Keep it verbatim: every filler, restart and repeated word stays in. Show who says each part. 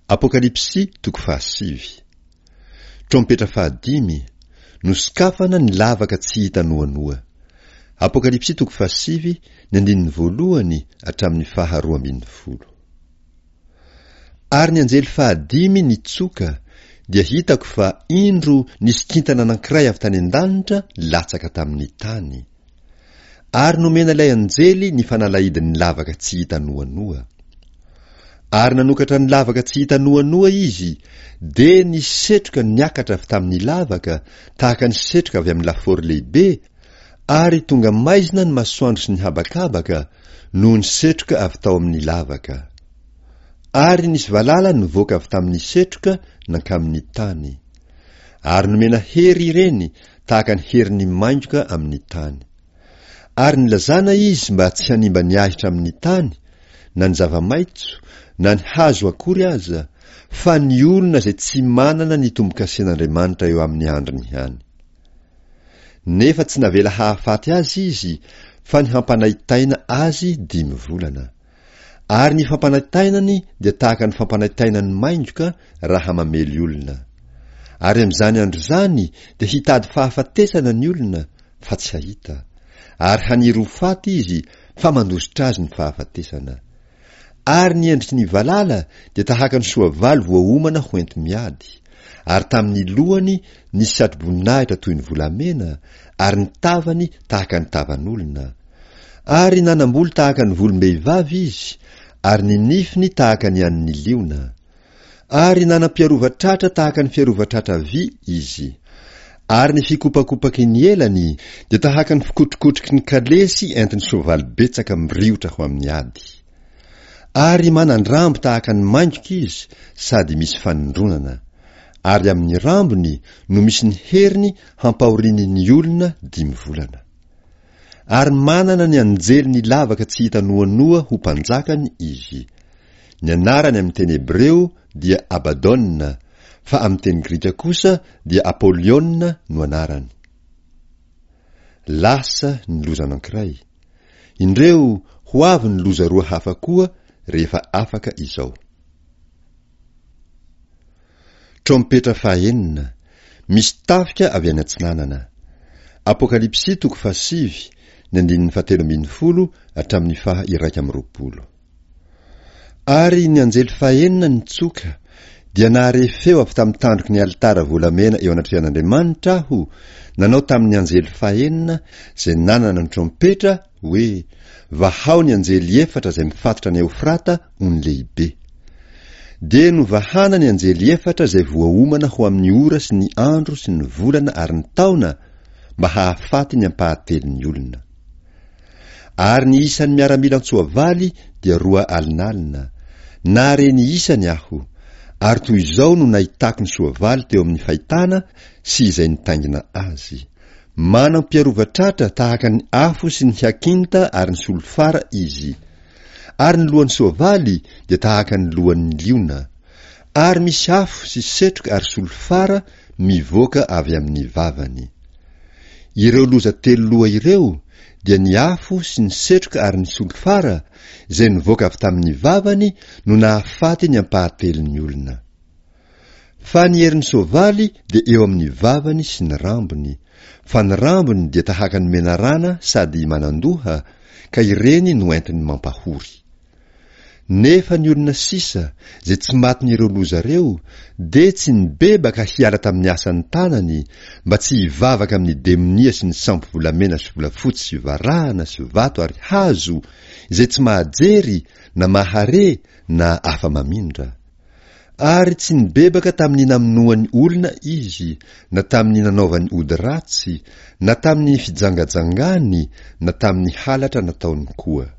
Speaker 1: Apokalypsy toko fahasivy. Trompetra fahadimy, nosokafana ny lavaka tsy hita noanoa. Apokalypsy toko fahasivy, ny andininy voalohany hatramin'ny faharoa ambin'ny folo. Ary ny anjely fahadimy nitsoka, dia hitako fa indro nisy kintana anankiray avy tany an-danitra latsaka tamin'ny tany. Ary nomena ilay anjely ny fanalahidin'ny lavaka tsy hita noanoa. Ary nanokatra ny lavaka tsy hita noanoa izy, dia nisy setroka niakatra avy tamin'ny lavaka, tahaka ny setroka avy amin'ny lafaoro lehibe, ary tonga maizina ny masoandro sy ny habakabaka, noho ny setroka avy tao amin'ny lavaka. Ary nisy valala nivoaka avy tamin'ny setroka nankamin'ny tany. Ary nomena hery ireny, tahaka ny herin'ny maingoka amin'ny tany. Ary nilazana izy mba tsy hanimba ny ahitra amin'ny tany, na ny zava-maitso, na ny hazo akory aza, fa ny olona izay tsy manana ny tombo-kasen'Andriamanitra eo amin'ny handriny ihany. Nefa tsy navela hahafaty azy izy, fa ny hampanaitaina azy dimy volana. Ary ny fampanaitainany dia tahaka ny fampanaitainan'ny maingoka raha mamely olona. Ary amin'izany andro izany dia hitady fahafatesana ny olona, fa tsy hahita. Ary haniry ho faty izy, fa mandositra azy ny fahafatesana. Ary ny endriky ny valala dia tahaka ny soavaly voaomana ho enti-miady. Ary tamin'ny lohany nisy satroboninahitra toy ny volamena, ary ny tavany tahaka ny tavan'olona. Ary nanam-bolo tahaka ny volom-behivavy izy, ary ny nifiny tahaka ny an'ny liona. Ary nanam-piarova-tratra tahaka ny fiarova-tratra vy izy. Ary ny fikopakopaky ny elany dia tahaka ny fikotrokotroky ny kalesy entin'ny soavaly betsaka miriotra ho amin'ny ady. Ary manan-drambo tahaka ny maingoka izy sady misy fanindronana. Ary amin'ny rambony no misy ny heriny hampahoriany ny olona dimy volana. Ary manana ny anjely ny lavaka tsy hita noanoa ho mpanjakany izy. Ny anarany amin'ny teny hebreo dia Abadona, fa amin'ny teny grika kosa dia Apolyona no anarany. Lasa ny loza anankiray. Indreo ho avy ny loza roa hafa koa rehefa afaka izao. Trompetra fahenina, misy tafika avy any atsinanana. Apokalypsy toko fahasivy, ny andininy fahatelo ambin'ny folo hatramin'ny faha iraika amby roapolo. Ary ny anjely fahenina nitsoka, dia nahare feo avy tamin'ny tandroky ny alitara volamena eo anatrehan'Andriamanitra aho, nanao tamin'ny anjely fahenina izay nanana ny trompetra hoe: Vahao ny anjely efatra izay mifatotra ny Eofrata ony lehibe. Dia novahana ny anjely efatra izay voaomana ho amin'ny ora sy ny andro sy ny volana ary ny taona, mba hahafaty ny ampahatelon'ny olona. Ary ny isan'ny miaramila an-tsoavaly dia roa alinalina. Nahare ny isany aho, ary toy izao no nahitako ny soavaly teo amin'ny fahitana sy izay nitaingina azy. Manam-piarova-tratra tahaka ny afo sy ny hyakinta ary ny solifara izy. Ary ny lohan'ny soavaly dia tahaka ny lohan'ny liona. Ary misy afo sy setroka ary solifara mivoaka avy amin'ny vavany. Ireo loza telo loha ireo dia ny afo sy ny setroka ary ny solifara izay nivoaka avy tamin'ny vavany no nahafaty ny ampahatelon'ny olona. Fa ny herin'ny soavaly dia eo amin'ny vavany sy ny rambony, fa ny rambony dia tahaka ny menarana sady manan-doha, ka ireny no entiny mampahory. Nefa ny olona sisa, izay tsy matin'ireo loza ireo, dia tsy nibebaka hiala tamin'ny asan'ny tanany, mba tsy hivavaka amin'ny demonia sy ny sampy volamena sy volafotsy sy varahana sy vato ary hazo, izay tsy mahajery na mahare na afa-mamindra. Ary tsy nibebaka tamin'ny namonoany olona izy, na tamin'ny nanaovany ody ratsy, na tamin'ny fijangajangany, na tamin'ny halatra nataony koa.